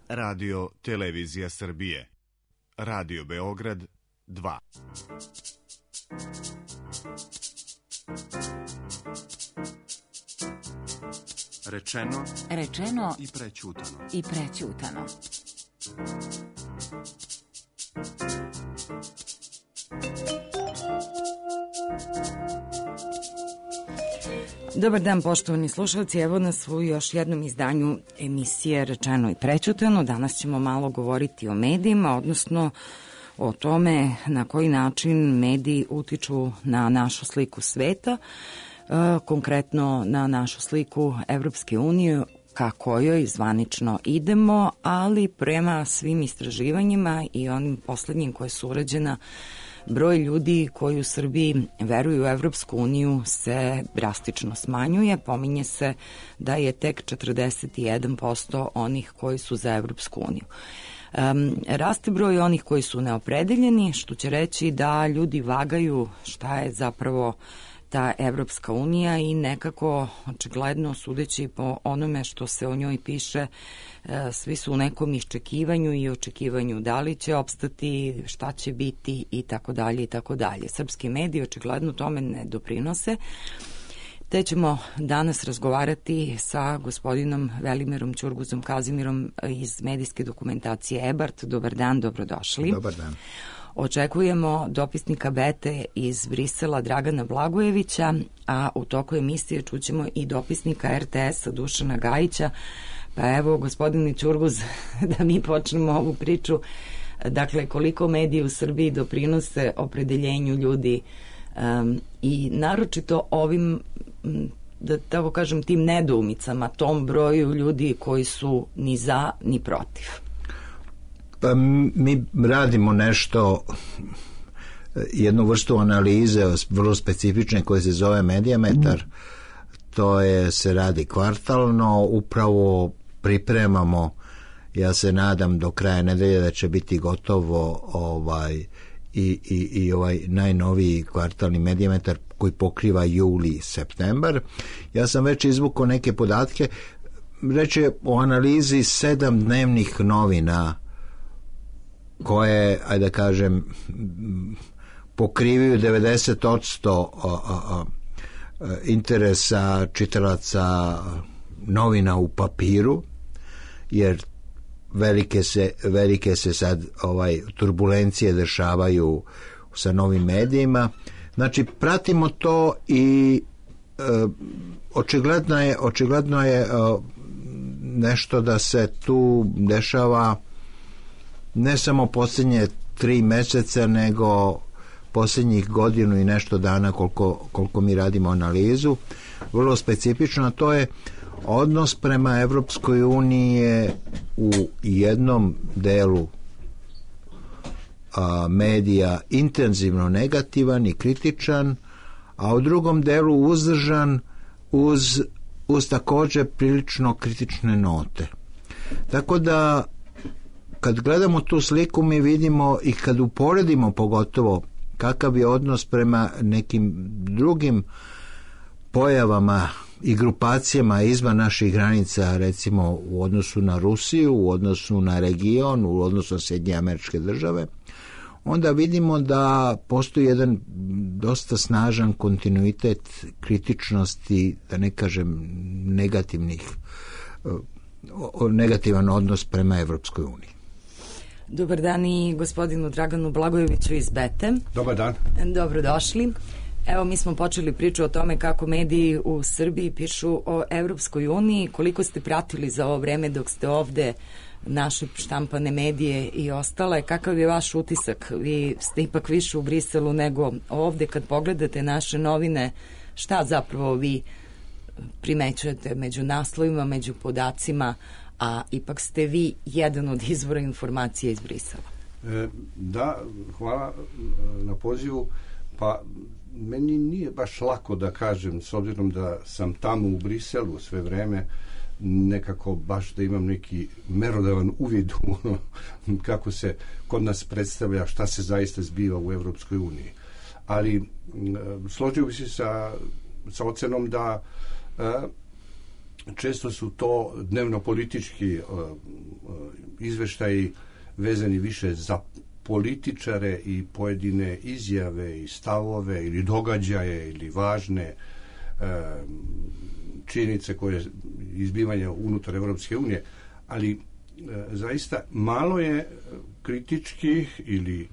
Radio Televizija Srbije. Radio Beograd 2. Rečeno i prećutano. Dobar dan, poštovani slušalci, evo nas u još jednom izdanju emisije Rečeno i prećutano. Danas ćemo malo govoriti o medijima, odnosno o tome na koji način mediji utiču na našu sliku sveta, konkretno na našu sliku Evropske unije, ka kojoj zvanično idemo, ali prema svim istraživanjima i onim poslednjim koje su urađena, broj ljudi koji u Srbiji veruju u Evropsku uniju se drastično smanjuje. Pominje se da je tek 41% onih koji su za Evropsku uniju. Raste broj onih koji su neopredeljeni, što će reći da ljudi vagaju šta je zapravo ta Evropska unija i nekako, očigledno, sudeći po onome što se o njoj piše, svi su u nekom iščekivanju i očekivanju da li će opstati, šta će biti i tako dalje i tako dalje. Srpski mediji očigledno tome ne doprinose. Te ćemo danas razgovarati sa gospodinom Velimirom Ćurguzom Kazimirom iz medijske dokumentacije EBART. Dobar dan, dobrodošli. Dobar dan. Očekujemo dopisnika Bete iz Brisela Dragana Blagojevića, a u toku emisije čućemo i dopisnika RTS-a Dušana Gajića. Pa evo, gospodine Ćurguz, da mi počnemo ovu priču. Dakle, koliko mediji u Srbiji doprinose opredeljenju ljudi i naročito ovim, da tako kažem, tim nedoumicama, tom broju ljudi koji su ni za ni protiv. Pa mi radimo nešto, jednu vrstu analize vrlo specifične koje se zove Medijametar. To se radi kvartalno, upravo pripremamo, ja se nadam do kraja nedelje da će biti gotovo i ovaj najnoviji kvartalni Medijametar koji pokriva juli i septembar. Ja sam već izvukao neke podatke, reći o analizi 7 dnevnih novina koje, ajde da kažem, pokrivaju 90% interesa čitalaca novina u papiru, jer velike se sad turbulencije dešavaju sa novim medijima. Znači, pratimo to i očigledno je nešto da se tu dešava ne samo posljednje 3 meseca, nego posljednjih godinu i nešto dana koliko mi radimo analizu. Vrlo specifično, to je odnos prema Evropskoj uniji u jednom delu medija intenzivno negativan i kritičan, a u drugom delu uzdržan uz također prilično kritične note. Tako da kad gledamo tu sliku mi vidimo i kad uporedimo pogotovo kakav je odnos prema nekim drugim pojavama i grupacijama izvan naših granica, recimo u odnosu na Rusiju, u odnosu na region, u odnosu na Sjedinjene Američke Države, onda vidimo da postoji jedan dosta snažan kontinuitet kritičnosti, da ne kažem negativan odnos prema Evropskoj uniji. Dobar dan i gospodinu Draganu Blagojeviću iz Bete. Dobar dan. Dobrodošli. Evo, mi smo počeli priču o tome kako mediji u Srbiji pišu o Evropskoj uniji. Koliko ste pratili za ovo vreme dok ste ovde naše štampane medije i ostale? Kakav je vaš utisak? Vi ste ipak više u Briselu nego ovde. Kad pogledate naše novine, šta zapravo vi primećujete među naslovima, među podacima, a ipak ste vi jedan od izvora informacije iz Brisela? Da, hvala na pozivu. Pa meni nije baš lako da kažem, s obzirom da sam tamo u Briselu sve vreme, nekako baš da imam neki merodavan uvid u ono kako se kod nas predstavlja, šta se zaista zbiva u Evropskoj uniji. Ali složio bi se sa ocenom da često su to dnevno politički izveštaji vezani više za političare i pojedine izjave i stavove ili događaje ili važne činjenice koje izbivanja unutar Evropske unije, ali zaista malo je kritičkih ili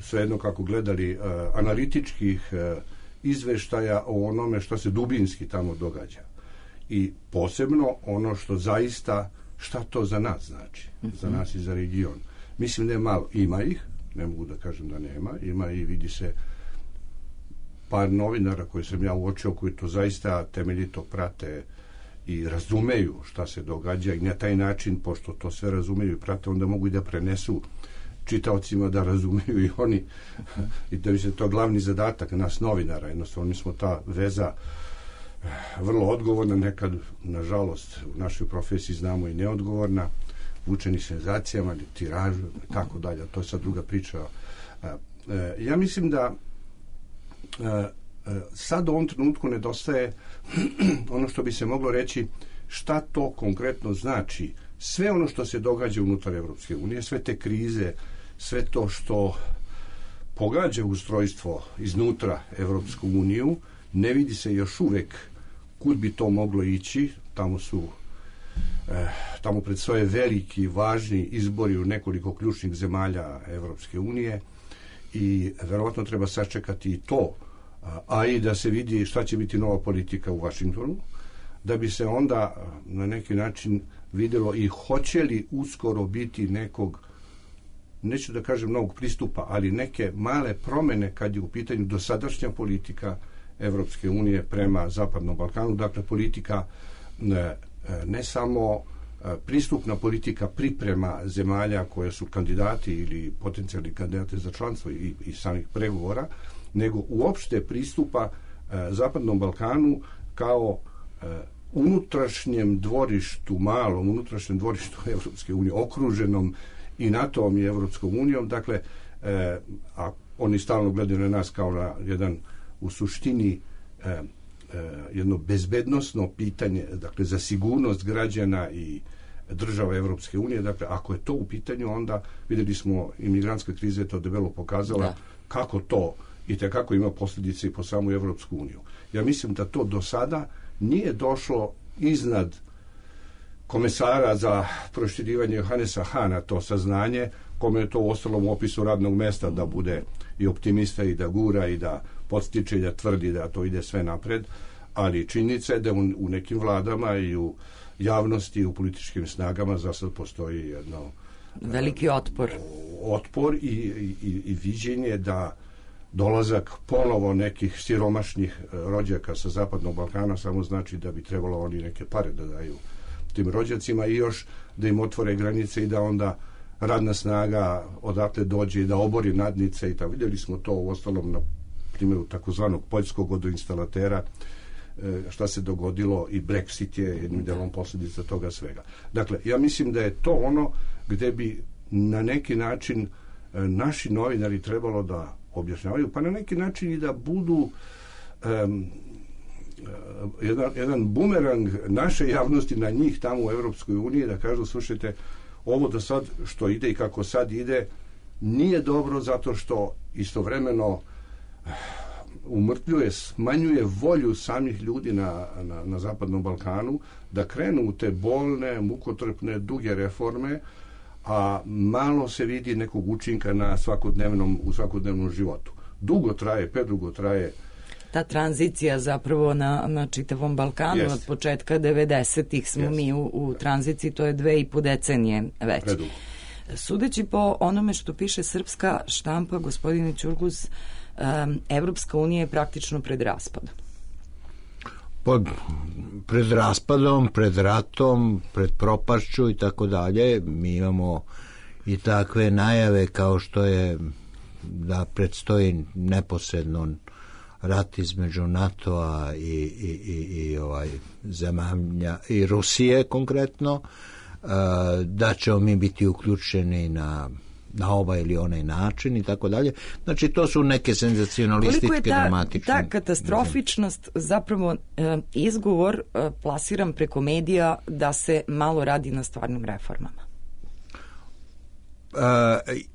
svejedno kako gledali analitičkih izveštaja o onome što se dubinski tamo događa. I posebno ono što zaista, šta to za nas znači, za nas i za region. Mislim da je malo, ima ih, ne mogu da kažem da nema, ima i vidi se par novinara koje sam ja uočio, koji to zaista temeljito prate i razumeju šta se događa i na taj način, pošto to sve razumeju i prate, onda mogu i da prenesu čitaocima da razumeju i oni i da bi se to glavni zadatak nas novinara. Jednostavno mi smo ta veza vrlo odgovorna, nekad nažalost u našoj profesiji znamo i neodgovorna, vučeni senzacijama ili tiražu i tako dalje, to je sad druga priča. Ja mislim da sad u ovom trenutku nedostaje ono što bi se moglo reći šta to konkretno znači sve ono što se događa unutar Evropske unije, sve te krize, sve to što pogađa ustrojstvo iznutra Evropsku uniju, ne vidi se još uvek kud bi to moglo ići. Tamo predstoje veliki, važni izbori u nekoliko ključnih zemalja Evropske unije i verovatno treba sačekati i to, a i da se vidi šta će biti nova politika u Vašingtonu, da bi se onda na neki način videlo i hoće li uskoro biti nekog, neću da kažem novog pristupa, ali neke male promene kad je u pitanju dosadašnja politika Evropske unije prema Zapadnom Balkanu, dakle politika ne samo pristupna politika priprema zemalja koje su kandidati ili potencijalni kandidati za članstvo i samih pregovora, nego uopšte pristupa Zapadnom Balkanu kao unutrašnjem dvorištu, malom unutrašnjem dvorištu Evropske unije, okruženom i NATO-om i Evropskom unijom. Dakle, a oni stalno gledaju na nas kao na jedan, u suštini, jedno bezbednosno pitanje, dakle, za sigurnost građana i država Evropske unije. Dakle, ako je to u pitanju, onda videli smo, imigrantska kriza je to debelo pokazala kako to i tekako ima posljedice i po samu Evropsku uniju. Ja mislim da to do sada nije došlo iznad komesara za proširivanje Johanesa Hana, to saznanje, kome je to u ostalom opisu radnog mesta da bude i optimista i da gura i da podstiče i da tvrdi da to ide sve napred, ali činjenica je da u nekim vladama i u javnosti i u političkim snagama za sad postoji jedno veliki otpor i viđenje da dolazak ponovo nekih siromašnih rođaka sa Zapadnog Balkana samo znači da bi trebalo oni neke pare da daju tim rođacima i još da im otvore granice i da onda radna snaga odatle dođe i da obori nadnice i tako. Vidjeli smo to u ostalom na primjeru takozvanog poljskog vodoinstalatera, šta se dogodilo, i Brexit je jednim delom posljedica toga svega. Dakle, ja mislim da je to ono gde bi na neki način naši novinari trebalo da objašnjavaju, pa na neki način i da budu jedan bumerang naše javnosti na njih tamo u Evropskoj uniji, da kažu, slušajte, ovo do sad što ide i kako sad ide nije dobro, zato što istovremeno umrtvljuje, smanjuje volju samih ljudi na Zapadnom Balkanu da krenu u te bolne, mukotrpne, duge reforme, a malo se vidi nekog učinka u svakodnevnom životu. Predugo traje ta tranzicija zapravo na čitavom Balkanu. Od početka 90-ih smo mi u tranziciji, to je 2,5 decenije već. Predugo. Sudeći po onome što piše srpska štampa, gospodine Ćurguz, Evropska unija je praktično pred raspadom. Pred raspadom, pred ratom, pred propašću i tako dalje. Mi imamo i takve najave kao što je da predstoji neposredno rat između NATO-a i zemalja i Rusije konkretno, da ćemo mi biti uključeni na ovaj ili onaj način i tako dalje. Znači, to su neke senzacionalističke, dramatične. Koliko je ta katastrofičnost zapravo izgovor plasiran preko medija da se malo radi na stvarnim reformama?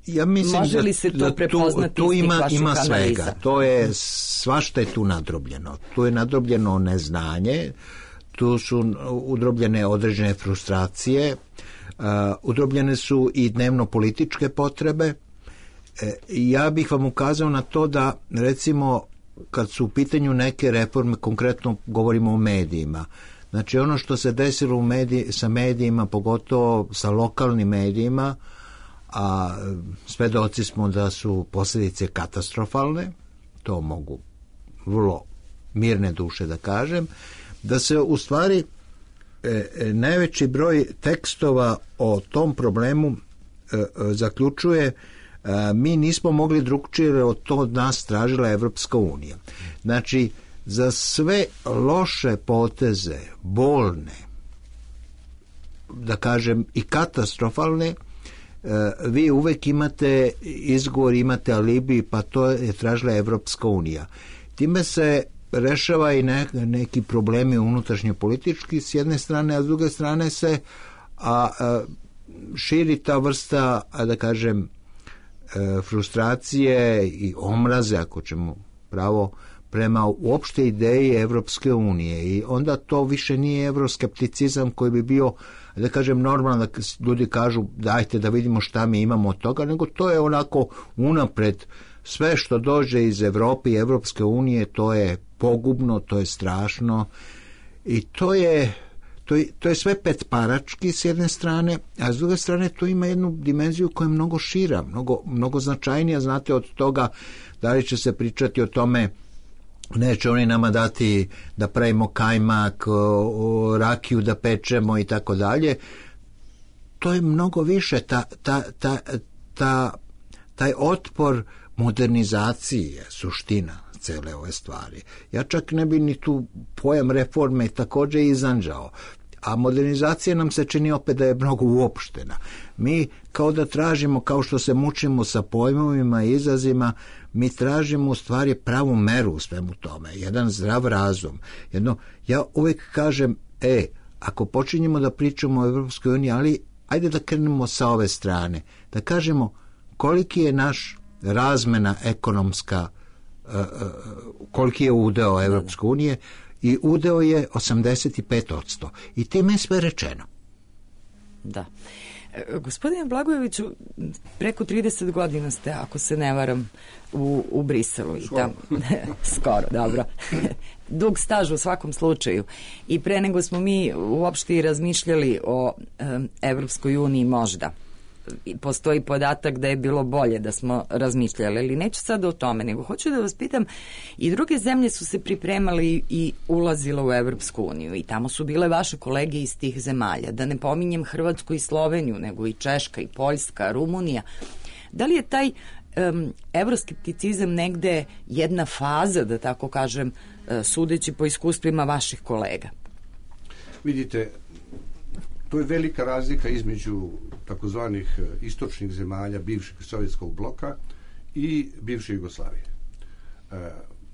Ja mislim može li se to prepoznati tu iz vaših ima analiza? svega. To je, svašta je tu nadrobljeno. Tu je nadrobljeno neznanje, tu su udrobljene određene frustracije, udrobljene su i dnevno političke potrebe. Ja bih vam ukazao na to da, recimo, kad su u pitanju neke reforme, konkretno govorimo o medijima, znači ono što se desilo sa medijima, pogotovo sa lokalnim medijima, a svedoci smo da su posljedice katastrofalne, to mogu vrlo mirne duše da kažem, da se u stvari najveći broj tekstova o tom problemu zaključuje mi nismo mogli drugčije, od to od nas tražila Evropska unija. Znači, za sve loše poteze, bolne, da kažem i katastrofalne, vi uvek imate izgovor, imate alibi, pa to je tražila Evropska unija. Time se rešava i neki problemi unutrašnje politički s jedne strane, a s druge strane se širi ta vrsta, da kažem, frustracije i omraze, ako ćemo pravo, prema uopšte ideji Evropske unije. I onda to više nije evroskepticizam koji bi bio, da kažem, normalno da ljudi kažu dajte da vidimo šta mi imamo od toga, nego to je onako unapred. Sve što dođe iz Evrope i Evropske unije, to je pogubno, to je strašno i to je sve petparački s jedne strane, a s druge strane to ima jednu dimenziju koja je mnogo šira, mnogo značajnija, znate, od toga da li će se pričati o tome neće oni nama dati da pravimo kajmak, rakiju da pečemo i tako dalje. To je mnogo više, taj otpor modernizaciji je suština cele ove stvari. Ja čak ne bi ni tu pojam reforme također izanđao. A modernizacija nam se čini opet da je mnogo uopštena. Mi kao da tražimo, kao što se mučimo sa pojmovima i izrazima, mi tražimo u stvari pravu meru u svemu tome, jedan zdrav razum. Ja uvijek kažem, ako počinjemo da pričamo o Evropskoj uniji, ali ajde da krenemo sa ove strane, da kažemo koliki je naš razmena ekonomska, koliki je udeo Evropske unije, i udeo je 85%. I time je sve rečeno. Da. Gospodine Blagojeviću, preko 30 godina ste, ako se ne varam, u Briselu. Skoro, dobro. Dug staž u svakom slučaju. I pre nego smo mi uopšte i razmišljali o Evropskoj uniji možda. Postoji podatak da je bilo bolje da smo razmišljali, ali neću sad o tome, nego hoću da vas pitam, i druge zemlje su se pripremali i ulazile u Evropsku uniju i tamo su bile vaše kolege iz tih zemalja, da ne pominjem Hrvatsku i Sloveniju, nego i Češka i Poljska, Rumunija. Da li je taj evroskepticizam negde jedna faza, da tako kažem, sudeći po iskustvima vaših kolega? Vidite, to je velika razlika između takozvanih istočnih zemalja bivšeg sovjetskog bloka i bivše Jugoslavije.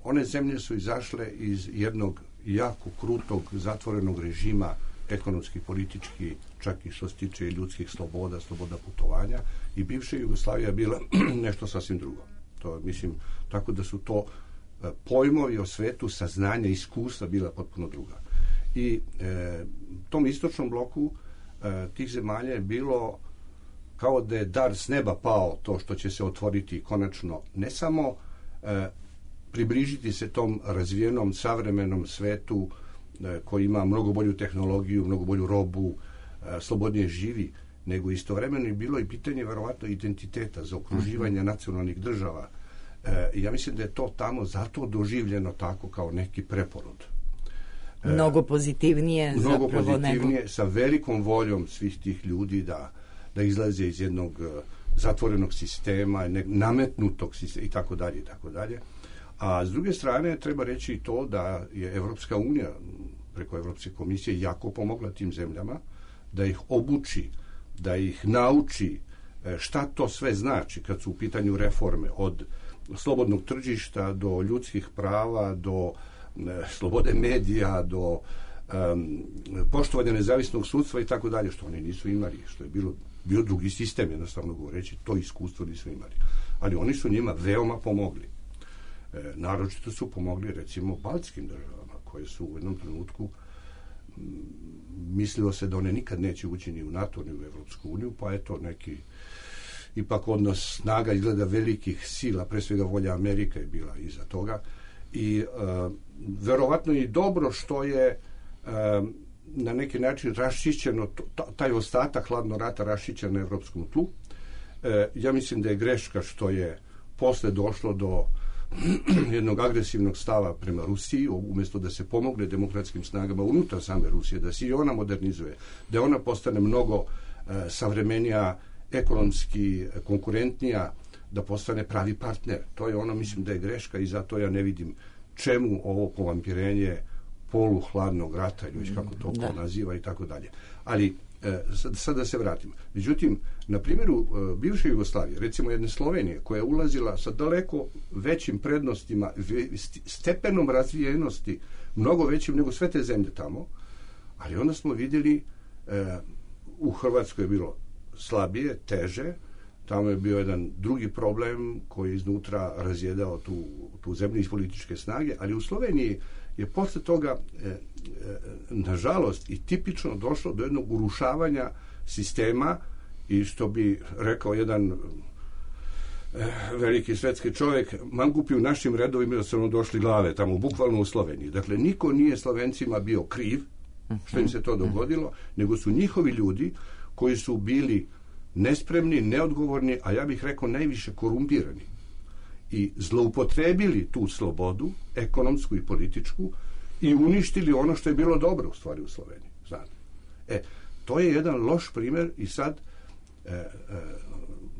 One zemlje su izašle iz jednog jako krutog zatvorenog režima, ekonomski, politički, čak i što se tiče ljudskih sloboda, sloboda putovanja, i bivša Jugoslavija bila nešto sasvim drugo. To, mislim, tako da su to pojmovi o svetu, saznanja, iskustva bila potpuno druga. I tom istočnom bloku tih zemalja je bilo kao da je dar s neba pao, to što će se otvoriti konačno, ne samo približiti se tom razvijenom savremenom svetu koji ima mnogo bolju tehnologiju, mnogo bolju robu, slobodnije živi, nego istovremeno je bilo i pitanje verovatno identiteta, zaokruživanja nacionalnih država. Ja mislim da je to tamo zato doživljeno tako kao neki preporod. Mnogo pozitivnije zapravo nego... sa velikom voljom svih tih ljudi da izlaze iz jednog zatvorenog sistema, nametnutog sistema i tako dalje i tako dalje. A s druge strane treba reći i to da je Evropska unija preko Evropske komisije jako pomogla tim zemljama da ih obuči, da ih nauči šta to sve znači kad su u pitanju reforme, od slobodnog tržišta do ljudskih prava, do slobode medija, do poštovanja nezavisnog sudstva i tako dalje, što oni nisu imali, što je bilo bio drugi sistem, jednostavno govoreći, to iskustvo nisu imali. Ali oni su njima veoma pomogli. Naročito su pomogli, recimo, baltskim državama, koje su u jednom trenutku mislilo se da one nikad neće ući ni u NATO, ni u Evropsku uniju, pa eto neki ipak odnos snaga izgleda velikih sila, pre svega volja Amerika je bila iza toga. I verovatno i dobro što je na neki način raščišćeno, taj ostatak hladnog rata raščišćen na evropskom tlu. Ja mislim da je greška što je posle došlo do jednog agresivnog stava prema Rusiji, umjesto da se pomogne demokratskim snagama unutar same Rusije, da se i ona modernizuje, da ona postane mnogo savremenija, ekonomski konkurentnija, da postane pravi partner. To je ono, mislim da je greška i zato ja ne vidim čemu ovo povampirenje poluhladnog rata ili kako to ko naziva i tako dalje. Ali sad da se vratim. Međutim, na primjeru bivše Jugoslavije, recimo jedne Slovenije, koja je ulazila sa daleko većim prednostima, stepenom razvijenosti, mnogo većim nego sve te zemlje tamo, ali onda smo vidjeli u Hrvatskoj je bilo slabije, teže, tamo je bio jedan drugi problem koji iznutra razjedao tu zemlju iz političke snage, ali u Sloveniji je posle toga nažalost i tipično došlo do jednog urušavanja sistema i što bi rekao jedan veliki svetski čovjek, mangupi u našim redovima da su nam došli glave tamo, bukvalno u Sloveniji. Dakle, niko nije Slovencima bio kriv što im se to dogodilo, nego su njihovi ljudi koji su bili nespremni, neodgovorni, a ja bih rekao najviše korumpirani i zloupotrebili tu slobodu, ekonomsku i političku, i uništili ono što je bilo dobro u stvari u Sloveniji. Znate. To je jedan loš primjer i sad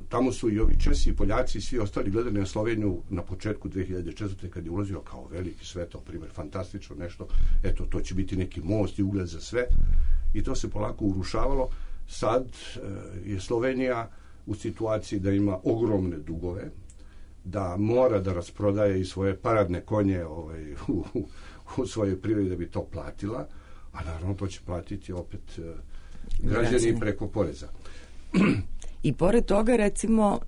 tamo su i ovi Česi i Poljaci i svi ostali gledali na Sloveniju na početku 2004. kad je ulazio kao veliki svetao primjer, fantastično nešto, eto, to će biti neki most i ugled za sve, i to se polako urušavalo. Sad je Slovenija u situaciji da ima ogromne dugove, da mora da rasprodaje i svoje paradne konje u svojoj privredi da bi to platila, a naravno to će platiti opet građani preko poreza. I pored toga, recimo,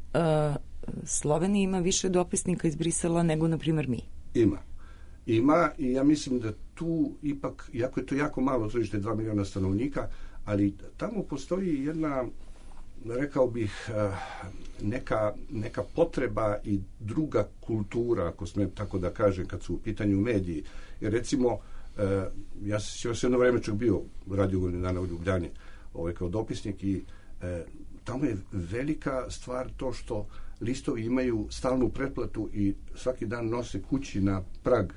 Slovenija ima više dopisnika iz Brisela nego, na primjer, mi. Ima i ja mislim da tu ipak, iako je to jako malo tržište, 2 miliona stanovnika, ali tamo postoji jedna, rekao bih, neka potreba i druga kultura, ako smijem tako da kažem, kad su u pitanju mediji. Jer recimo, ja sam jedno vreme čak bio radio godinu dana u Ljubljani kao dopisnik i tamo je velika stvar to što listovi imaju stalnu pretplatu i svaki dan nose kući na prag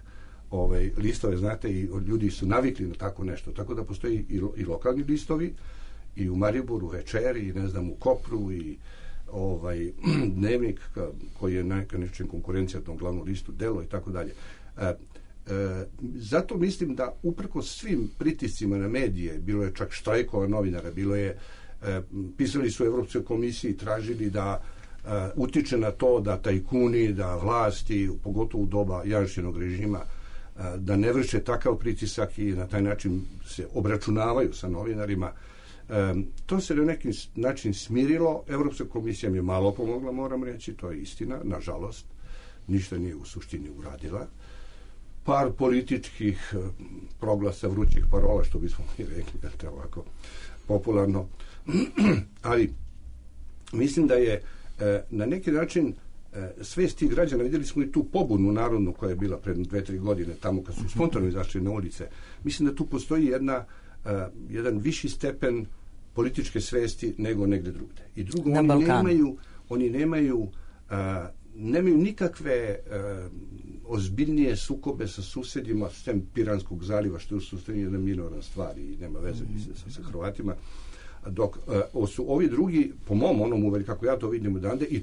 listove, znate, i ljudi su navikli na tako nešto, tako da postoji i lokalni listovi i u Mariboru, Večeri, i ne znam, u Kopru, i Dnevnik koji je neka nečem konkurencija tom glavnom listu, Delo i tako dalje. Zato mislim da uprkos svim pritiscima na medije, bilo je čak štrajkova novinara, bilo je, pisali su Evropskoj komisiji, tražili da utiče na to da tajkuni, da vlasti, pogotovo u doba Janšinog režima, da ne vrše takav pritisak i na taj način se obračunavaju sa novinarima. To se na neki način smirilo. Evropska komisija mi je malo pomogla, moram reći, to je istina, nažalost. Ništa nije u suštini uradila. Par političkih proglasa, vrućih parola, što bismo mi rekli, ovako popularno. Ali mislim da je na neki način svest tih građana, vidjeli smo i tu pobunu narodnu koja je bila pred 2-3 godine tamo kad su spontano izašli na ulice. Mislim da tu postoji jedan viši stepen političke svesti nego negde drugde. I drugo, oni nemaju nikakve ozbiljnije sukobe sa susjedima sem Piranskog zaliva, što je u suštini jedna minorna stvar i nema veze sa Hrvatima. Dok su ovi drugi, po mom onom uveri, kako ja to vidim odande, i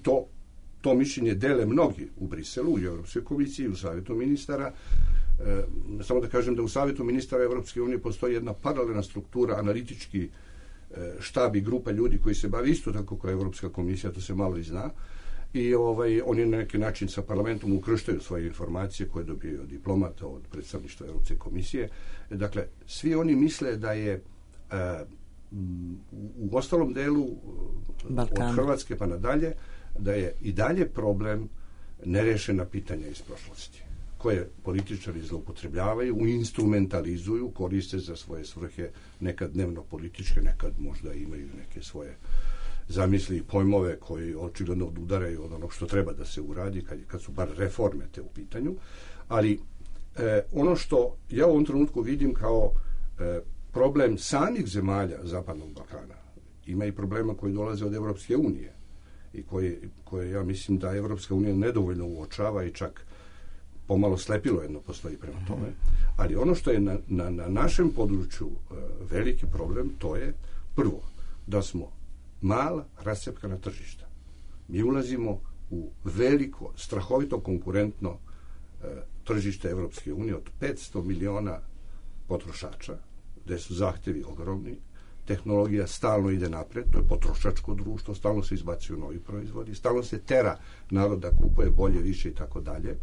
to mišljenje dele mnogi u Briselu, u Europskoj komisiji, u Savjetu ministara. Samo da kažem da u Savjetu ministara Evropske unije postoji jedna paralelna struktura, analitički štab i grupa ljudi koji se bavi isto tako kao Evropska komisija, to se malo i zna, i oni na neki način sa parlamentom ukrštaju svoje informacije koje dobijaju od diplomata, od predstavništva Evropske komisije. Dakle, svi oni misle da je u ostalom delu Balkana, od Hrvatske pa nadalje, da je i dalje problem nerešena pitanja iz prošlosti, koje političari zloupotrebljavaju, instrumentalizuju, koriste za svoje svrhe, nekad dnevno političke, nekad možda imaju neke svoje zamisli i pojmove koji očigledno odudaraju od onog što treba da se uradi kad su bar reforme te u pitanju. Ali ono što ja u ovom trenutku vidim kao problem samih zemalja Zapadnog Balkana, ima i problema koji dolaze od Evropske unije i koje ja mislim da Evropska unija nedovoljno uočava i čak pomalo slepilo jedno postoji prema tome. Ali ono što je na našem području veliki problem, to je prvo da smo mala rascepkana tržišta. Mi ulazimo u veliko, strahovito konkurentno tržište Evropske unije od 500 miliona potrošača, gde su zahtevi ogromni, tehnologija stalno ide napred, to je potrošačko društvo, stalno se izbacuju novi proizvodi, stalno se tera narod da kupuje bolje, više i tako dalje.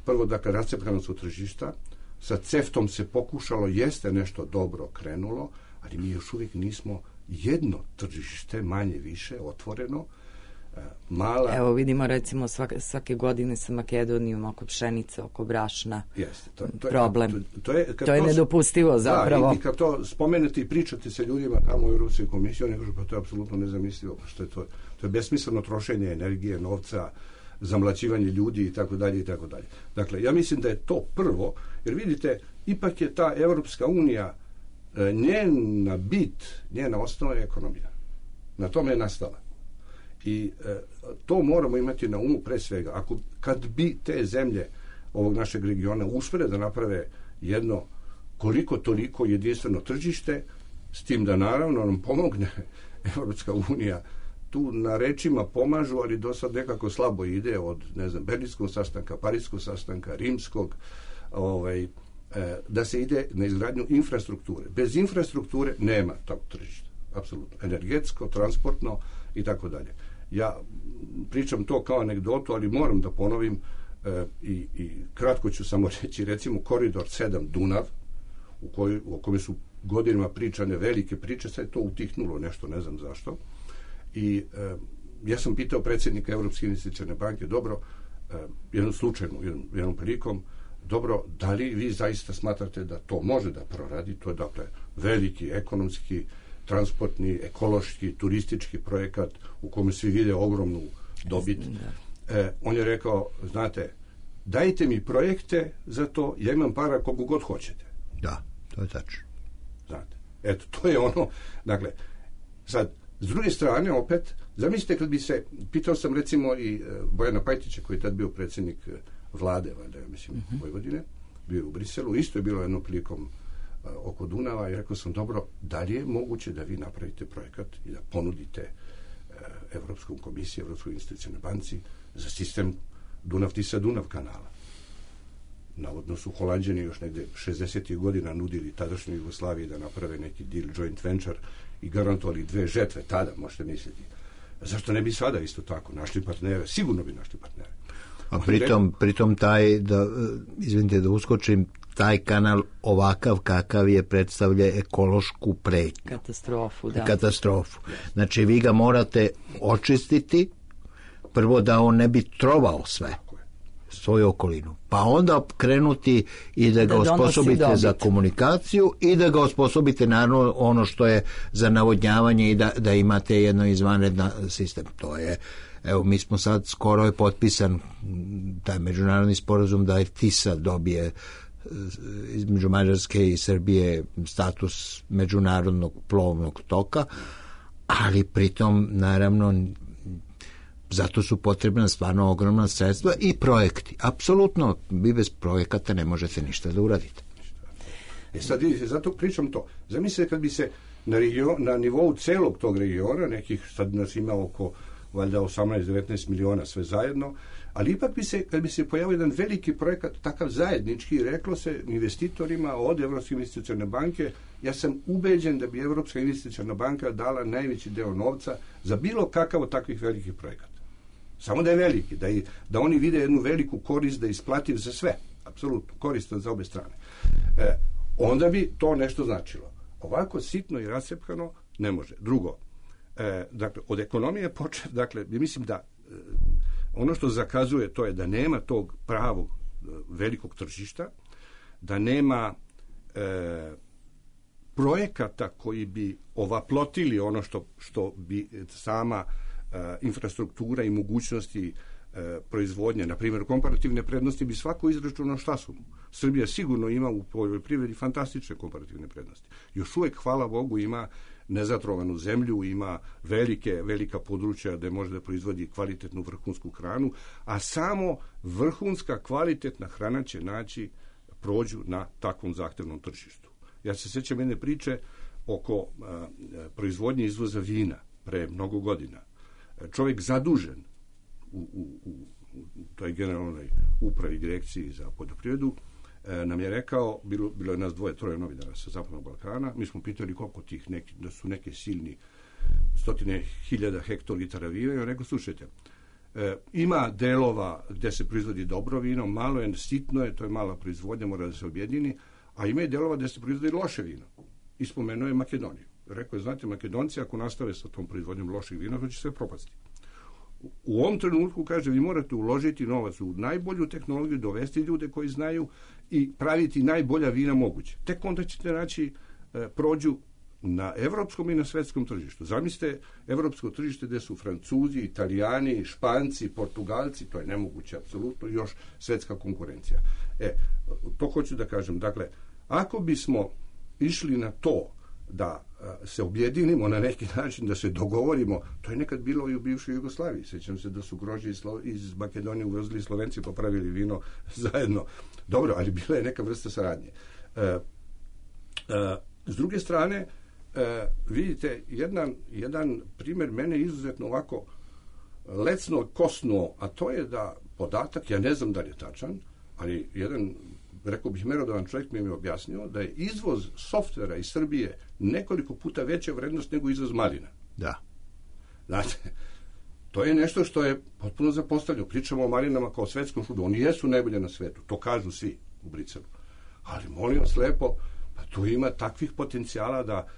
Prvo, dakle, rascepkana su tržišta, sa CEFTA-om se pokušalo, jeste nešto dobro krenulo, ali mi još uvijek nismo jedno tržište, manje više, otvoreno, mala... Evo vidimo recimo svake godine sa Makedonijom oko pšenice, oko brašna. Jeste, problem. To je nedopustivo zapravo. Da, i kad to spomenete i pričate sa ljudima tamo u Europskoj komisiji, oni kažu pa to je apsolutno nezamislivo, što je to je besmisleno trošenje energije, novca, zamlaćivanje ljudi i tako dalje i tako dalje. Dakle, ja mislim da je to prvo, jer vidite, ipak je ta Evropska unija, njena bit, njena osnova je ekonomija. Na tome je nastala. I to moramo imati na umu pre svega. Kad bi te zemlje ovog našeg regiona uspele da naprave jedno koliko toliko jedinstveno tržište, s tim da naravno nam pomogne Evropska unija, tu na rečima pomažu, ali do sad nekako slabo ide od, ne znam, Berlinskog sastanka, Pariskog sastanka, Rimskog, da se ide na izgradnju infrastrukture. Bez infrastrukture nema tog tržišta. Apsolutno. Energetsko, transportno i tako dalje. Ja pričam to kao anegdotu, ali moram da ponovim i kratko ću samo reći, recimo koridor 7 Dunav, o kome su godinama pričane velike priče, sad je to utihnulo nešto, ne znam zašto. I ja sam pitao predsjednika Evropske investicione banke, dobro, jednom prilikom, dobro, da li vi zaista smatrate da to može da proradi? To je, dakle, veliki ekonomski, transportni, ekološki, turistički projekat u kome svi vide ogromnu dobit. On je rekao, znate, dajte mi projekte za to, ja imam para koliko god hoćete. Da, to je tačno. Znate, eto, to je ono, dakle, sad, s druge strane, opet, zamislite kad bi se, pitao sam recimo i Bojana Pajtića, koji je tad bio predsjednik vlade, valjda, ja mislim, Vojvodine, bio je u Briselu, isto je bilo jednom prilikom oko Dunava i rekao sam, dobro, da li je moguće da vi napravite projekat i da ponudite Evropskom komisiji, Evropskoj investicijonoj banci za sistem Dunav-Tisa-Dunav kanala. Navodno su Holanđani još negde 60. godina nudili tadašnjoj Jugoslaviji da naprave neki deal, joint venture i garantovali 2 žetve tada, možete misliti. Zašto ne bi sada isto tako našli partnere? Sigurno bi našli partnere. A pritom taj, izvinite da uskočim, taj kanal ovakav kakav je predstavlja ekološku pretnju. Katastrofu, da. Katastrofu. Znači vi ga morate očistiti, prvo da on ne bi trovao sve, svoju okolinu. Pa onda krenuti i da ga osposobite za komunikaciju i da ga osposobite naravno ono što je za navodnjavanje i da imate jedno izvanredan sistem. To je, evo mi smo sad, skoro je potpisan taj međunarodni sporazum da je Tisa dobije između Mađarske i Srbije status međunarodnog plovnog toka, ali pritom naravno zato su potrebna stvarno ogromna sredstva i projekti. Apsolutno, vi bez projekata ne možete ništa da uradite. Sad zato pričam to. Zamislite kad bi se na nivou celog tog regiona, nekih, sad nas ima oko valjda 18-19 miliona sve zajedno, ali ipak kad bi se pojavio jedan veliki projekat, takav zajednički, reklo se investitorima od Evropske investicione banke, ja sam ubeđen da bi Evropska investiciona banka dala najveći deo novca za bilo kakav od takvih velikih projekata. Samo da je veliki, da oni vide jednu veliku korist, da je isplativ za sve, apsolutno, koristan za obe strane. Onda bi to nešto značilo. Ovako sitno i rascepkano ne može. Drugo, dakle, od ekonomije počet, dakle, mislim da ono što zakazuje to je da nema tog pravog velikog tržišta, da nema projekata koji bi ovaplotili ono što bi sama infrastruktura i mogućnosti proizvodnje, na primjer komparativne prednosti bi svako izračunao šta su mu. Srbija sigurno ima u poljoprivredi fantastične komparativne prednosti. Još uvijek, hvala Bogu, ima nezatrovanu zemlju, ima velika područja gde može da proizvodi kvalitetnu vrhunsku hranu, a samo vrhunska kvalitetna hrana će prođu na takvom zahtevnom tržištu. Ja se sjećam jedne priče oko proizvodnje izvoza vina pre mnogo godina. Čovjek zadužen u toj generalnoj upravi direkciji za poljoprivredu nam je rekao, bilo je nas 2-3 novinara sa Zapadnog Balkana, mi smo pitali koliko tih da su neke silni 100.000 hektolitara vina i on rekao, slušajte, ima delova gde se proizvodi dobro vino, malo je, sitno je, to je mala proizvodnja, mora da se objedini, a ima i delova gde se proizvodi loše vino. I spomenuo je Makedoniju. Rekao je, znate, Makedonci ako nastave sa tom proizvodnjom loših vina, to će sve propasti. U ovom trenutku, kaže, vi morate uložiti novac u najbolju tehnologiju, dovesti ljude koji znaju i praviti najbolja vina moguće. Tek onda ćete naći prođu na evropskom i na svetskom tržištu. Zamislite evropsko tržište gde su Francuzi, Italijani, Španci, Portugalci, to je nemoguće apsolutno, još svetska konkurencija. To hoću da kažem. Dakle, ako bismo išli na to da se objedinimo na neki način, da se dogovorimo, to je nekad bilo i u bivšoj Jugoslaviji. Sjećam se da su grožđe iz Makedonije uvezli Slovenci pa pravili vino zajedno. Dobro, ali bila je neka vrsta saradnje. S druge strane, vidite, jedan primjer mene izuzetno ovako lecno kosnuo, a to je da podatak, ja ne znam da li je tačan, ali jedan, rekao bih, merodavan čovjek mi je objasnio da je izvoz softvera iz Srbije nekoliko puta veća vrednost nego izvoz malina. Da. Znate, to je nešto što je potpuno zapostavljeno. Pričamo o malinama kao svetskom šudu. Oni jesu najbolje na svetu, to kažu svi u Briselu. Ali molim vas lepo, pa tu ima takvih potencijala da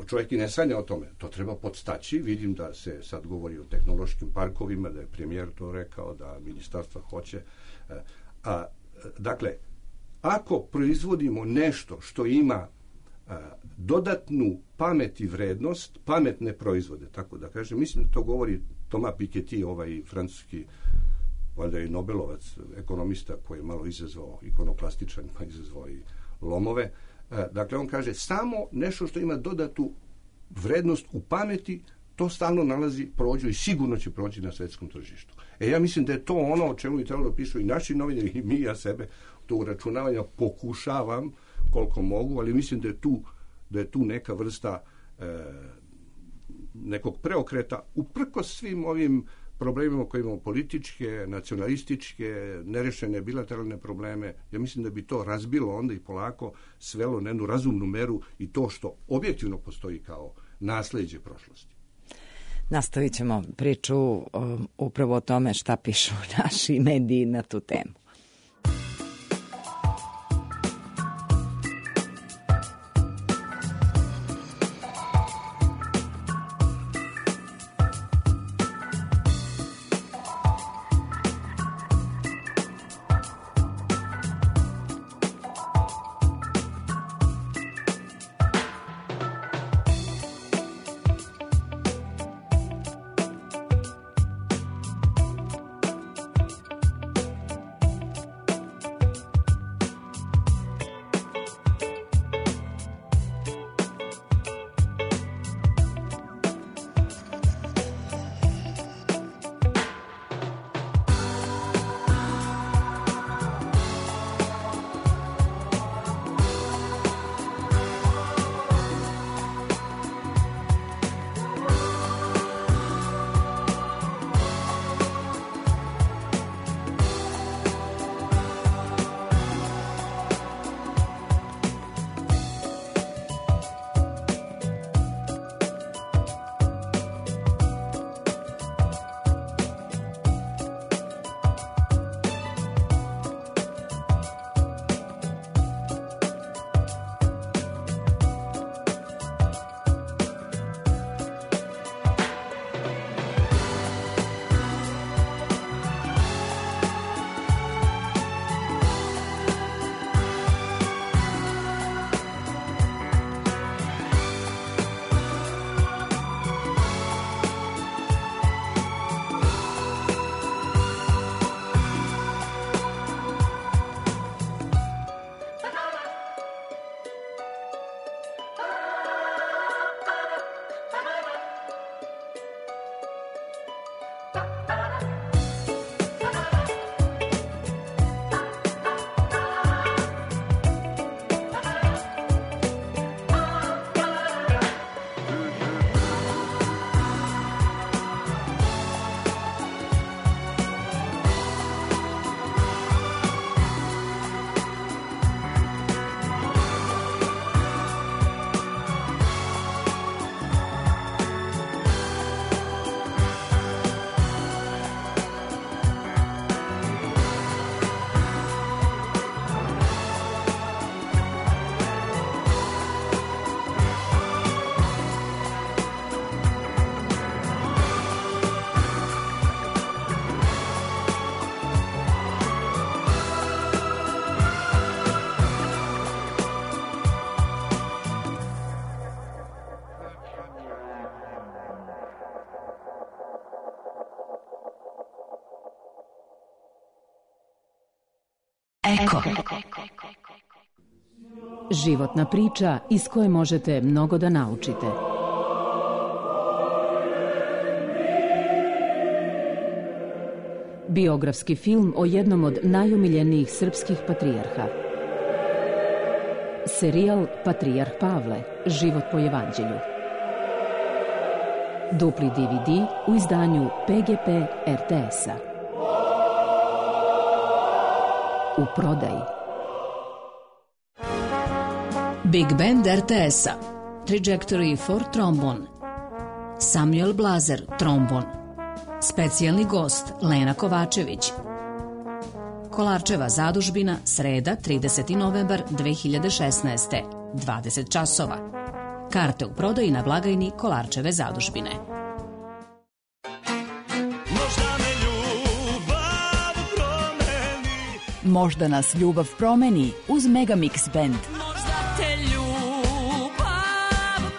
čovjek i ne sanja o tome. To treba podstaći. Vidim da se sad govori o tehnološkim parkovima, da je premijer to rekao, da ministarstva hoće. Dakle, ako proizvodimo nešto što ima dodatnu pamet i vrednost, pametne proizvode, tako da kažem, mislim da to govori Thomas Piketty, ovaj francuski, valjda i Nobelovac, ekonomista koji je malo izazvao ikonoklastičan, pa izazvao i lomove. Dakle, on kaže, samo nešto što ima dodatu vrednost u pameti, to stalno prođu i sigurno će proći na svetskom tržištu. Ja mislim da je to ono o čemu bi trebalo pišu i naši novinari i mi, ja sebe, to uračunavanja pokušavam koliko mogu, ali mislim da je tu neka vrsta nekog preokreta uprkos svim ovim problemima koje imamo, političke, nacionalističke, nerešene bilateralne probleme. Ja mislim da bi to razbilo onda i polako svelo na jednu razumnu meru i to što objektivno postoji kao nasleđe prošlosti. Nastavit ćemo priču upravo o tome šta pišu naši mediji na tu temu. Eko. Životna priča iz koje možete mnogo da naučite. Biografski film o jednom od najomiljenijih srpskih patrijarha. Serijal Patrijarh Pavle, život po evanđelju. Dupli DVD u izdanju PGP RTS-a. U prodaji. Big Band RTS-a. Trajectory for Trombone. Samuel Blazer, trombon. Specijalni gost Lena Kovačević. Kolarčeva zadužbina, sreda, 30. novembar 2016. 20 časova. Karte u prodaji na blagajni Kolarčeve zadužbine. Možda nas ljubav promeni uz Megamix Band. Možda te ljubav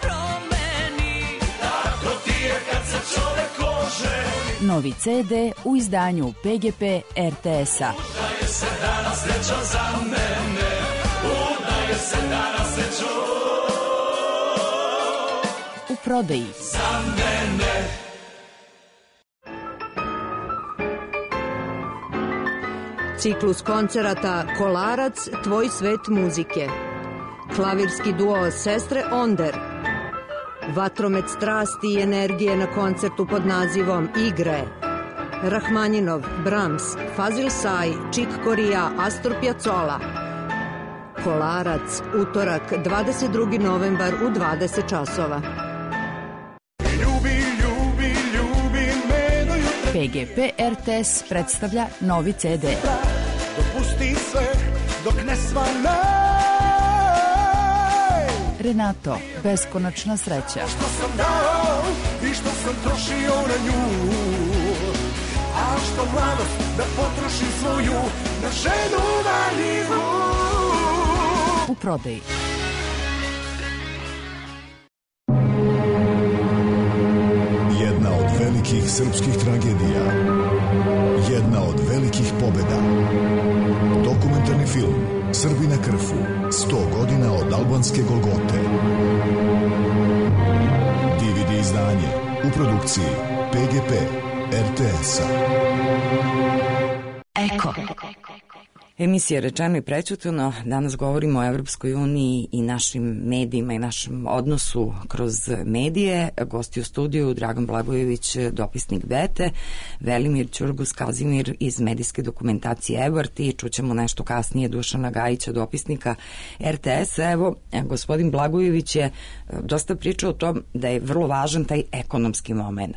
promeni. Tako ti je kad se čovek oženi. Novi CD u izdanju PGP RTS-a. Udaje se danas srećo za mene. Udaje se danas srećo. U prodaji. Za mene. Ciklus koncerata Kolarac, tvoj svet muzike. Klavirski duo Sestre Onder. Vatromet strasti i energije na koncertu pod nazivom Igre. Rahmaninov, Brahms, Fazil Say, Chick Corea, Astor Piazzolla. Kolarac, utorak, 22. novembar u 20 časova. PGP RTS predstavlja novi CD. Dopusti sve dok ne svane. Renato, beskonačna sreća. Što sam dao i što sam trošio na nju. A što mladost da potrošim svoju na ženu valjivu. U prodaji. Jedna od velikih srpskih tragedija. Jedna od velikih pobjeda. Dokumentarni film Srbi na Krfu. 100 godina od albanske Golgote. DVD izdanje u produkciji PGP RTS-a. Eko. Emisija Rečeno i prećutano. Danas govorimo o Evropskoj uniji i našim medijima i našem odnosu kroz medije. Gosti u studiju Dragan Blagojević, dopisnik Bete, Velimir Ćurgus Kazimir iz medijske dokumentacije Ebert i čućemo nešto kasnije Dušana Gajića, dopisnika RTS-a. Evo, gospodin Blagojević je dosta pričao o tom da je vrlo važan taj ekonomski moment.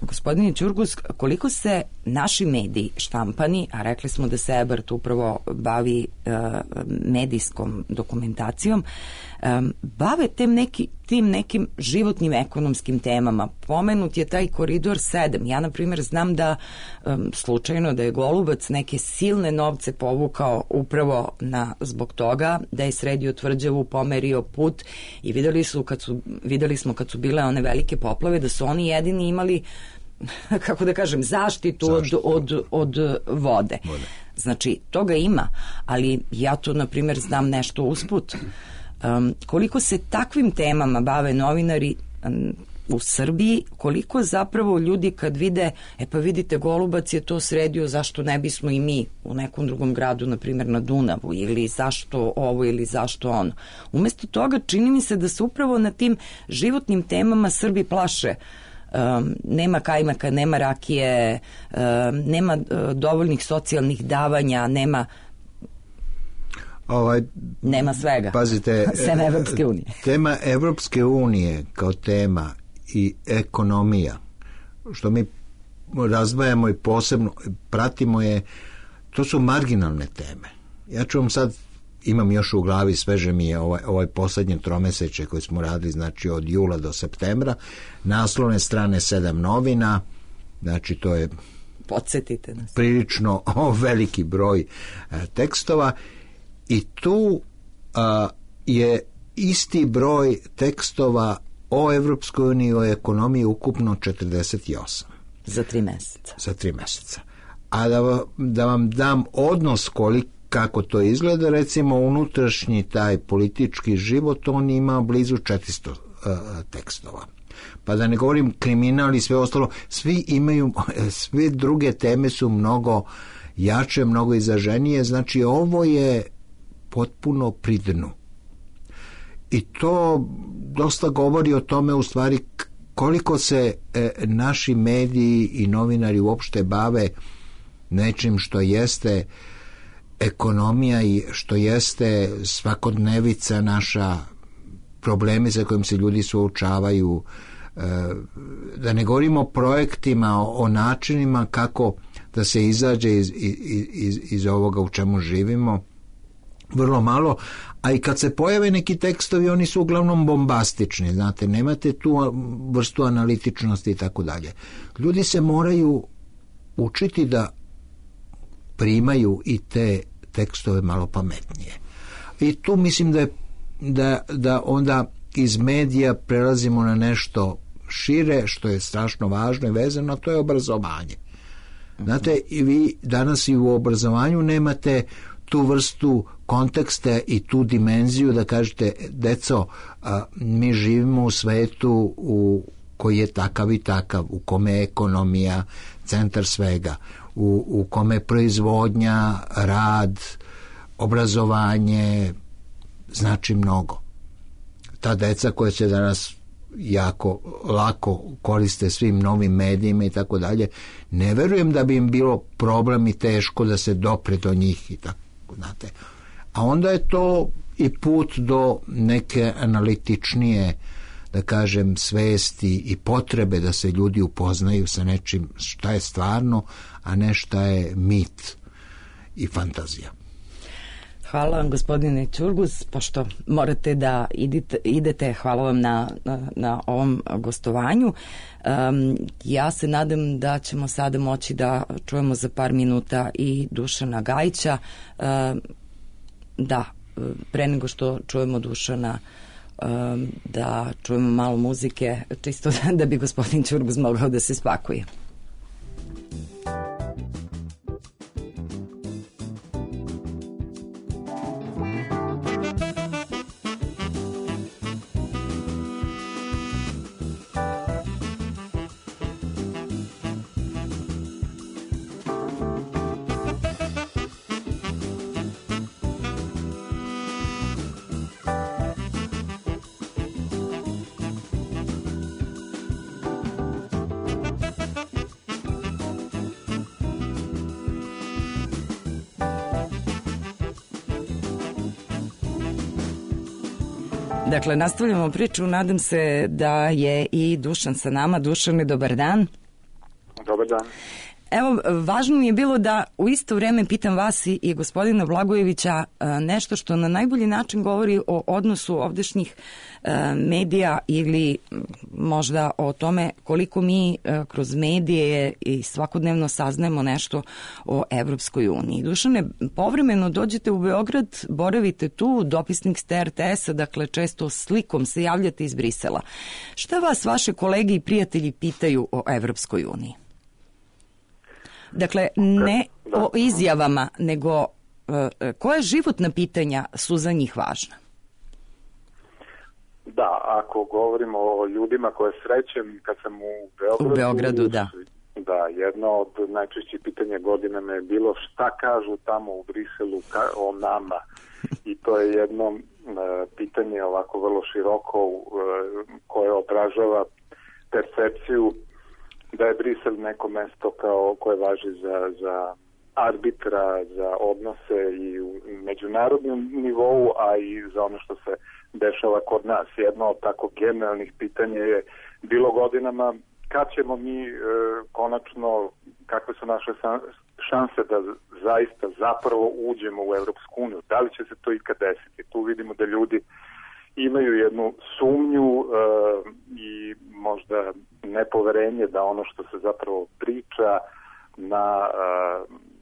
Gospodine Ćurgus, koliko se naši mediji štampani, a rekli smo da se Ebert upravo bavi medijskom dokumentacijom, bave tim nekim životnim ekonomskim temama. Pomenut je taj Koridor 7. Ja, na primjer, znam da slučajno da je Golubac neke silne novce povukao upravo zbog toga, da je sredio tvrđavu, pomerio put i videli smo kad su bile one velike poplave da su oni jedini imali, kako da kažem, zaštitu od vode. Znači, toga ima, ali ja to, na primjer, znam nešto usput. Koliko se takvim temama bave novinari u Srbiji, koliko zapravo ljudi kad vide, pa vidite, Golubac je to sredio, zašto ne bismo i mi u nekom drugom gradu, na primjer na Dunavu, ili zašto ovo ili zašto ono. Umesto toga čini mi se da se upravo na tim životnim temama Srbi plaše. Nema kajmaka, nema rakije, nema dovoljnih socijalnih davanja, nema svega. Pazite, sem Evropske unije. Tema Evropske unije kao tema i ekonomija, što mi razdvajamo i posebno pratimo je, to su marginalne teme. Ja ću vam sad, imam još u glavi, sveže mi je ovaj posljednje tromeseče koje smo radili, znači od jula do septembra, naslovne strane 7 novina, znači to je podsjetite nas, prilično veliki broj tekstova i tu je isti broj tekstova o Evropskoj uniji, o ekonomiji ukupno 48. Za 3 meseca. Za 3 meseca. A da vam dam odnos kako to izgleda, recimo unutrašnji taj politički život, on ima blizu 400 tekstova. Pa da ne govorim kriminal i sve ostalo, sve druge teme su mnogo jače, mnogo izraženije, znači ovo je potpuno pri dnu. I to dosta govori o tome u stvari koliko se naši mediji i novinari uopšte bave nečim što jeste ekonomija i što jeste svakodnevica naša, problemi sa kojim se ljudi suočavaju, da ne govorimo o projektima, o načinima kako da se izađe iz ovoga u čemu živimo, vrlo malo, a i kad se pojave neki tekstovi, oni su uglavnom bombastični, znate, nemate tu vrstu analitičnosti i tako dalje. Ljudi se moraju učiti da primaju i te tekstove malo pametnije. I tu mislim da onda iz medija prelazimo na nešto šire, što je strašno važno i vezano, a to je obrazovanje. Znate, i vi danas i u obrazovanju nemate tu vrstu konteksta i tu dimenziju da kažete, deco, mi živimo u svetu koji je takav i takav, u kome je ekonomija centar svega, u kome je proizvodnja, rad, obrazovanje znači mnogo. Ta deca koja se danas jako lako koriste svim novim medijima i tako dalje, ne verujem da bi im bilo problem i teško da se dopre do njih i tako, znate. A onda je to i put do neke analitičnije, da kažem, svesti i potrebe da se ljudi upoznaju sa nečim šta je stvarno, a ne šta je mit i fantazija. Hvala vam, gospodine Ćurgus, pošto morate da idete, hvala vam na ovom gostovanju. Ja se nadam da ćemo sada moći da čujemo za par minuta i Dušana Gajića. Da, pre nego što čujemo Dušana, da čujemo malo muzike, čisto da bi gospodin Ćurgus mogao da se spakuje. Dakle, nastavljamo priču, nadam se da je i Dušan sa nama. Dušane, dobar dan. Dobar dan. Evo, važno mi je bilo da u isto vrijeme pitam vas i gospodina Blagojevića nešto što na najbolji način govori o odnosu ovdešnjih medija ili možda o tome koliko mi kroz medije i svakodnevno saznajemo nešto o Evropskoj uniji. Dušane, povremeno dođete u Beograd, boravite tu, dopisnik ste RTS-a, dakle često slikom se javljate iz Brisela. Šta vas vaše kolege i prijatelji pitaju o Evropskoj uniji? Dakle, ne o izjavama, nego koja životna pitanja su za njih važna? Da, ako govorimo o ljudima koje srećem kad sam u Beogradu, da. Da, jedno od najčešćih pitanja godinama je bilo šta kažu tamo u Briselu o nama. I to je jedno pitanje ovako vrlo široko koje odražava percepciju da je Brisel neko mesto koje važi za arbitra, za odnose i u međunarodnom nivou, a i za ono što se dešava kod nas. Jedno od tako generalnih pitanja je bilo godinama kad ćemo mi konačno, kakve su naše šanse da zaista zapravo uđemo u Evropsku uniju. Da li će se to ikad desiti? Tu vidimo da ljudi imaju jednu sumnju i možda nepoverenje da ono što se zapravo priča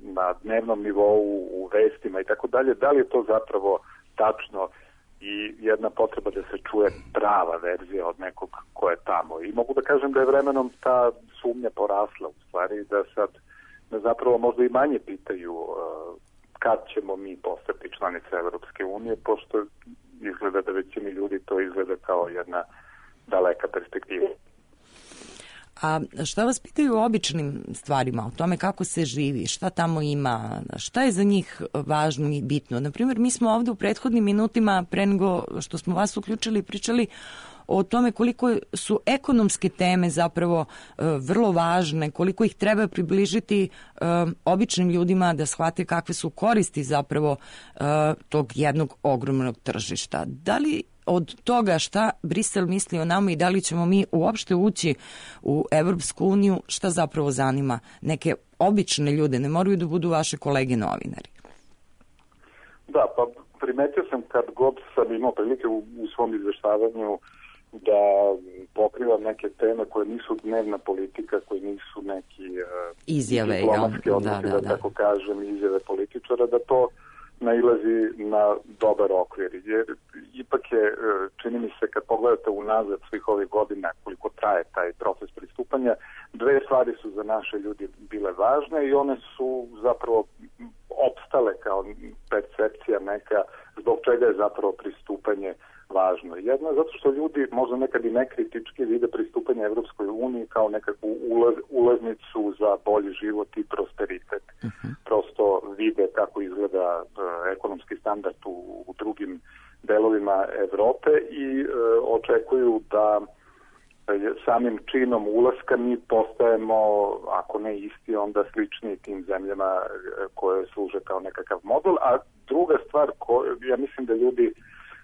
na dnevnom nivou, u vestima i tako dalje, da li je to zapravo tačno i jedna potreba da se čuje prava verzija od nekog ko je tamo. I mogu da kažem da je vremenom ta sumnja porasla u stvari, da sad zapravo možda i manje pitaju kad ćemo mi postati članice Evropske unije, pošto izgleda da većini ljudi to izgleda kao jedna daleka perspektiva. A šta vas pitaju o običnim stvarima, o tome kako se živi, šta tamo ima, šta je za njih važno i bitno? Naprimjer, mi smo ovde u prethodnim minutima, pre nego što smo vas uključili, pričali o tome koliko su ekonomske teme zapravo vrlo važne, koliko ih treba približiti običnim ljudima da shvate kakve su koristi zapravo tog jednog ogromnog tržišta. Da li od toga šta Brisel misli o nama i da li ćemo mi uopšte ući u Evropsku uniju, šta zapravo zanima neke obične ljude, ne moraju da budu vaše kolege novinari? Da, pa primetio sam kad god sam imao prilike u svom izveštavanju da pokrivam neke teme koje nisu dnevna politika, koje nisu neki izjave, diplomatske odnosi, da tako kažem, izjave političara, da to nailazi na dobar okvir. Jer ipak je, čini mi se, kad pogledate unazad svih ovih godina koliko traje taj proces pristupanja, dve stvari su za naše ljudi bile važne i one su zapravo opstale kao percepcija neka zbog čega je zapravo pristupanje važno. Jedno je zato što ljudi možda nekad i nekritički vide pristupanje Evropskoj uniji kao nekakvu ulaznicu za bolji život i prosperitet. Prosto vide kako izgleda ekonomski standard u drugim delovima Evrope i očekuju da samim činom ulaska mi postajemo, ako ne isti, onda slični tim zemljama koje služe kao nekakav model. A druga stvar, ja mislim da ljudi,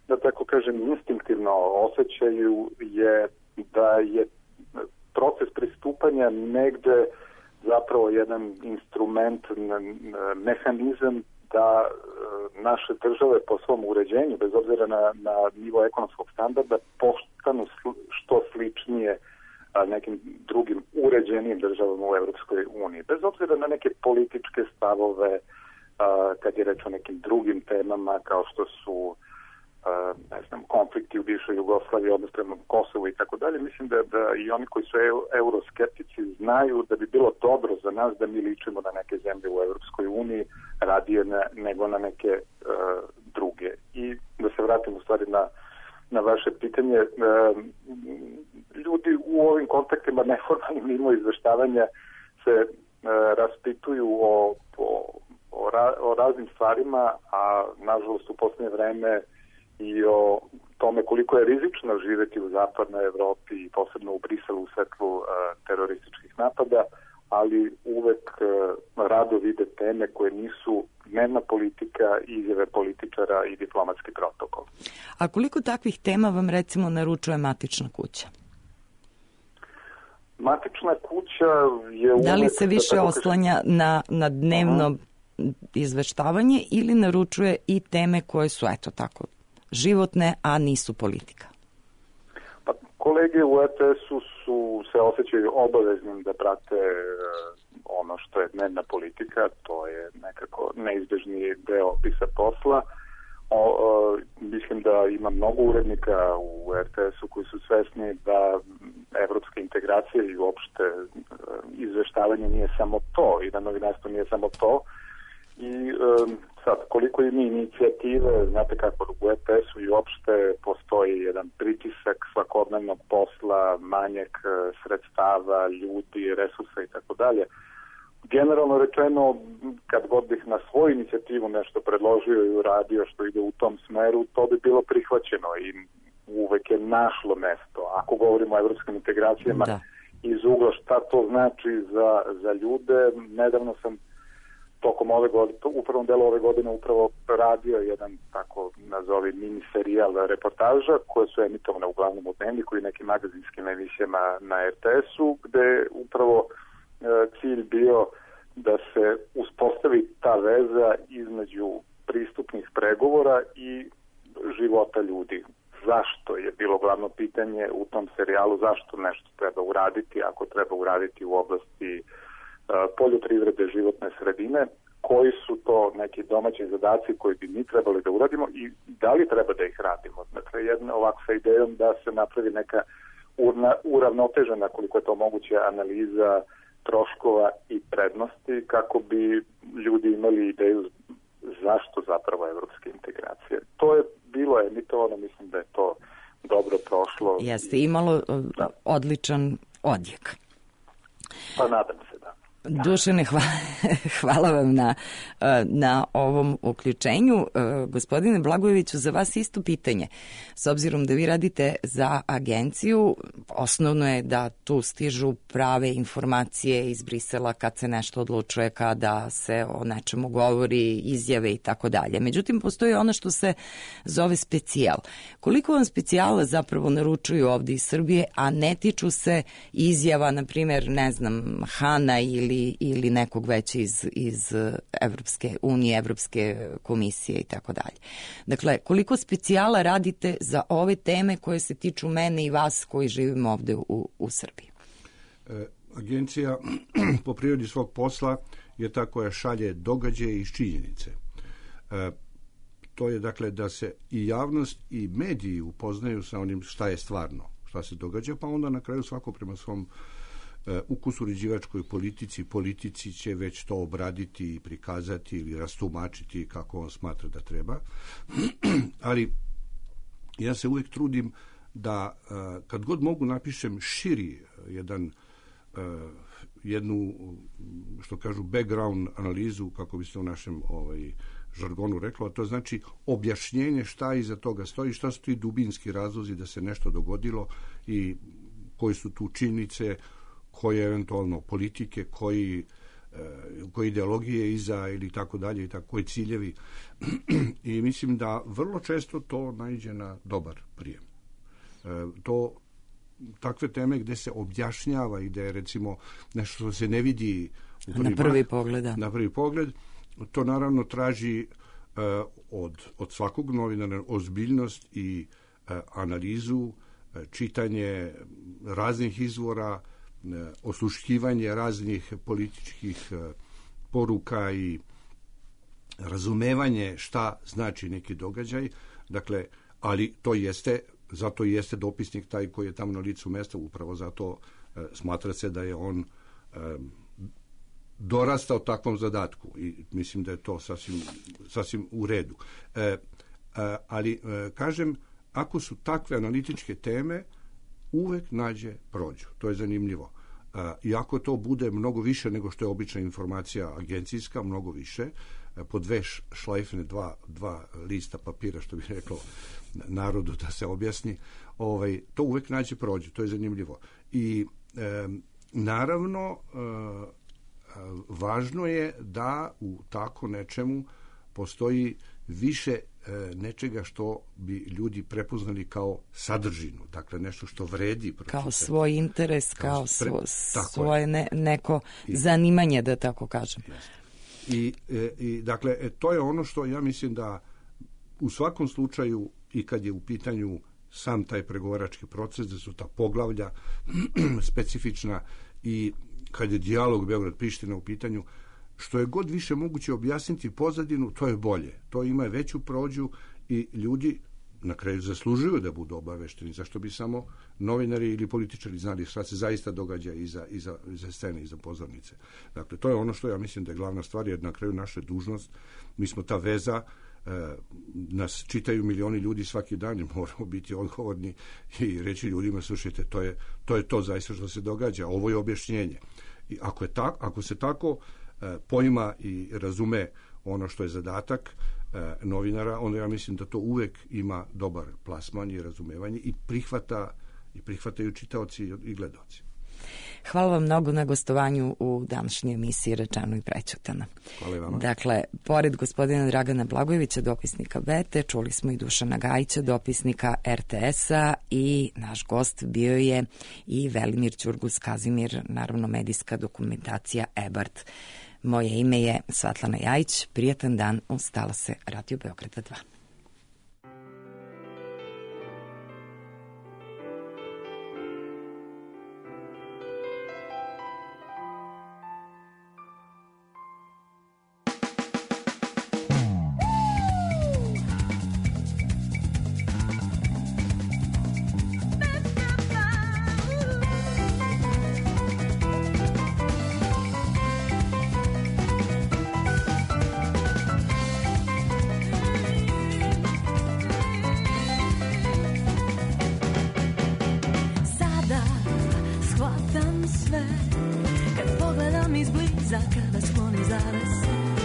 da tako kažem, instinktivno osjećaju je da je proces pristupanja negde zapravo jedan instrument, mehanizam da naše države po svom uređenju, bez obzira na nivo ekonomskog standarda, postanu što sličnije nekim drugim uređenim državama u Evropskoj uniji. Bez obzira na neke političke stavove, kad je reč o nekim drugim temama kao što su konflikti u bivšoj Jugoslaviji, odnos prema Kosovu i tako dalje, mislim da i oni koji su euroskeptici znaju da bi bilo dobro za nas da mi ličimo na neke zemlje u Evropskoj uniji radije nego na neke druge. I da se vratim u stvari na vaše pitanje, ljudi u ovim kontaktima neformalnim mimo izveštavanja se raspituju o raznim stvarima, a nažalost u posljednje vreme i o tome koliko je rizično živeti u zapadnoj Evropi i posebno u Briselu u svetlu terorističkih napada, ali uvek rado vide teme koje nisu dnevna politika, izjave političara i diplomatski protokol. A koliko takvih tema vam recimo naručuje Matična kuća? Matična kuća je uvek... Da li se više oslanja na dnevno izveštavanje ili naručuje i teme koje su, eto tako, životne, a nisu politika? Pa, kolege u RTS-u se osjećaju obaveznim da prate ono što je dnevna politika, to je nekako neizbežni deo opisa posla. Mislim da ima mnogo urednika u RTS-u koji su svesni da evropske integracije i uopšte izveštavanje nije samo to i da novinarstvo nije samo to. I sad, koliko ima inicijative, znate kako u RTS-u i uopšte postoji jedan pritisak svakodnevnog posla, manjak sredstava, ljudi, resursa i tako dalje. Generalno rečeno, kad god bih na svoju inicijativu nešto predložio i uradio što ide u tom smeru, to bi bilo prihvaćeno i uvek je našlo mesto. Ako govorimo o evropskim integracijama iz ugla šta to znači za ljude, nedavno sam tokom ove godine, u prvom delu ove godine upravo radio jedan tako nazovi mini serijal reportaža koje su emitovane uglavnom u Dnevniku i nekim magazinskim emisijama na RTS-u, gde upravo cilj bio da se uspostavi ta veza između pristupnih pregovora i života ljudi. Zašto je bilo glavno pitanje u tom serijalu, zašto nešto treba uraditi, ako treba uraditi u oblasti poljoprivrede, životne sredine, koji su to neki domaći zadaci koji bi mi trebali da uradimo i da li treba da ih radimo. Dakle, jedna ovako sa idejom da se napravi neka uravnotežena, koliko je to moguće, analiza troškova i prednosti kako bi ljudi imali ideju zašto zapravo evropske integracije. To je bilo emitovano, mislim da je to dobro prošlo. Jeste, imalo odličan odjek. Pa nadam se, da. Dušane, hvala vam na ovom uključenju. Gospodine Blagojeviću, za vas isto pitanje. S obzirom da vi radite za agenciju, osnovno je da tu stižu prave informacije iz Brisela kad se nešto odlučuje, kada se o nečemu govori, izjave i tako dalje. Međutim, postoji ono što se zove specijal. Koliko vam specijala zapravo naručuju ovde iz Srbije, a ne tiču se izjava, na primjer, ne znam, Hana ili nekog već iz Evropske unije, Evropske komisije i tako dalje. Dakle, koliko specijala radite za ove teme koje se tiču mene i vas koji živimo ovde u Srbiji? Agencija po prirodi svog posla je ta koja šalje događaje iz činjenice. To je dakle da se i javnost i mediji upoznaju sa onim šta je stvarno, šta se događa, pa onda na kraju svako prema svom ukusu uređivačkoj politici će već to obraditi i prikazati ili rastumačiti kako on smatra da treba. Ali ja se uvijek trudim da kad god mogu napišem širi jednu, što kažu, background analizu, kako bi se u našem žargonu reklo, a to znači objašnjenje šta iza toga stoji, šta su ti dubinski razlozi da se nešto dogodilo i koji su tu činjenice, koje eventualno politike, koje ideologije iza ili tako dalje, i tako, koji ciljevi. I mislim da vrlo često to naiđe na dobar prijem. Takve teme gde se objašnjava i gde je recimo nešto što se ne vidi na prvi pogled. Na prvi pogled, to naravno traži od svakog novinara ozbiljnost i analizu, čitanje raznih izvora, osluškivanje raznih političkih poruka i razumevanje šta znači neki događaj. Dakle, ali to jeste, zato jeste dopisnik taj koji je tamo na licu mesta, upravo zato smatra se da je on dorastao takvom zadatku i mislim da je to sasvim u redu. Ali, kažem, ako su takve analitičke teme, uvek nađe prođu. To je zanimljivo. Iako to bude mnogo više nego što je obična informacija agencijska, mnogo više, po dve šlajfne, dva lista papira, što bi reklo narodu da se objasni, to uvek nađe prođu. To je zanimljivo. I naravno, važno je da u tako nečemu postoji više nečega što bi ljudi prepoznali kao sadržinu, dakle nešto što vredi. Kao svoj interes, kao svoje neko zanimanje, da tako kažem. I dakle, to je ono što ja mislim da u svakom slučaju i kad je u pitanju sam taj pregovarački proces, da su ta poglavlja specifična i kad je dijalog Beograd-Priština u pitanju, što je god više moguće objasniti pozadinu, to je bolje. To ima veću prođu i ljudi na kraju zaslužuju da budu obavešteni. Zašto bi samo novinari ili političari znali šta se zaista događa iza scene, iza pozornice. Dakle, to je ono što ja mislim da je glavna stvar, jer na kraju naša dužnost, mi smo ta veza, nas čitaju milioni ljudi svaki dan i moramo biti odgovorni i reći ljudima, slušajte, to je to zaista što se događa, ovo je objašnjenje. I ako se tako poima i razume ono što je zadatak novinara, onda ja mislim da to uvek ima dobar plasman i razumevanje i prihvataju čitaoci i gledaoci. Hvala vam mnogo na gostovanju u današnjoj emisiji Rečeno i prećutano. Hvala i vama. Dakle, pored gospodina Dragana Blagojevića, dopisnika Bete, čuli smo i Dušana Gajića, dopisnika RTS-a, i naš gost bio je i Velimir Ćurgus Kazimir, naravno medijska dokumentacija EBARD. Moje ime je Svetlana Jajić. Prijatan dan uz talase Radio Beograda 2. da skloni zares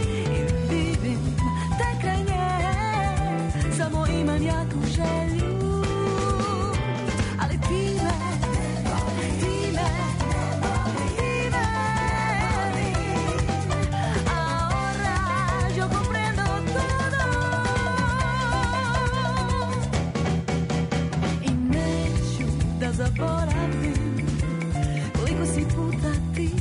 i vidim te kraj nje, samo imam jaku želju, ali ti me zaboravim koliko si puta ti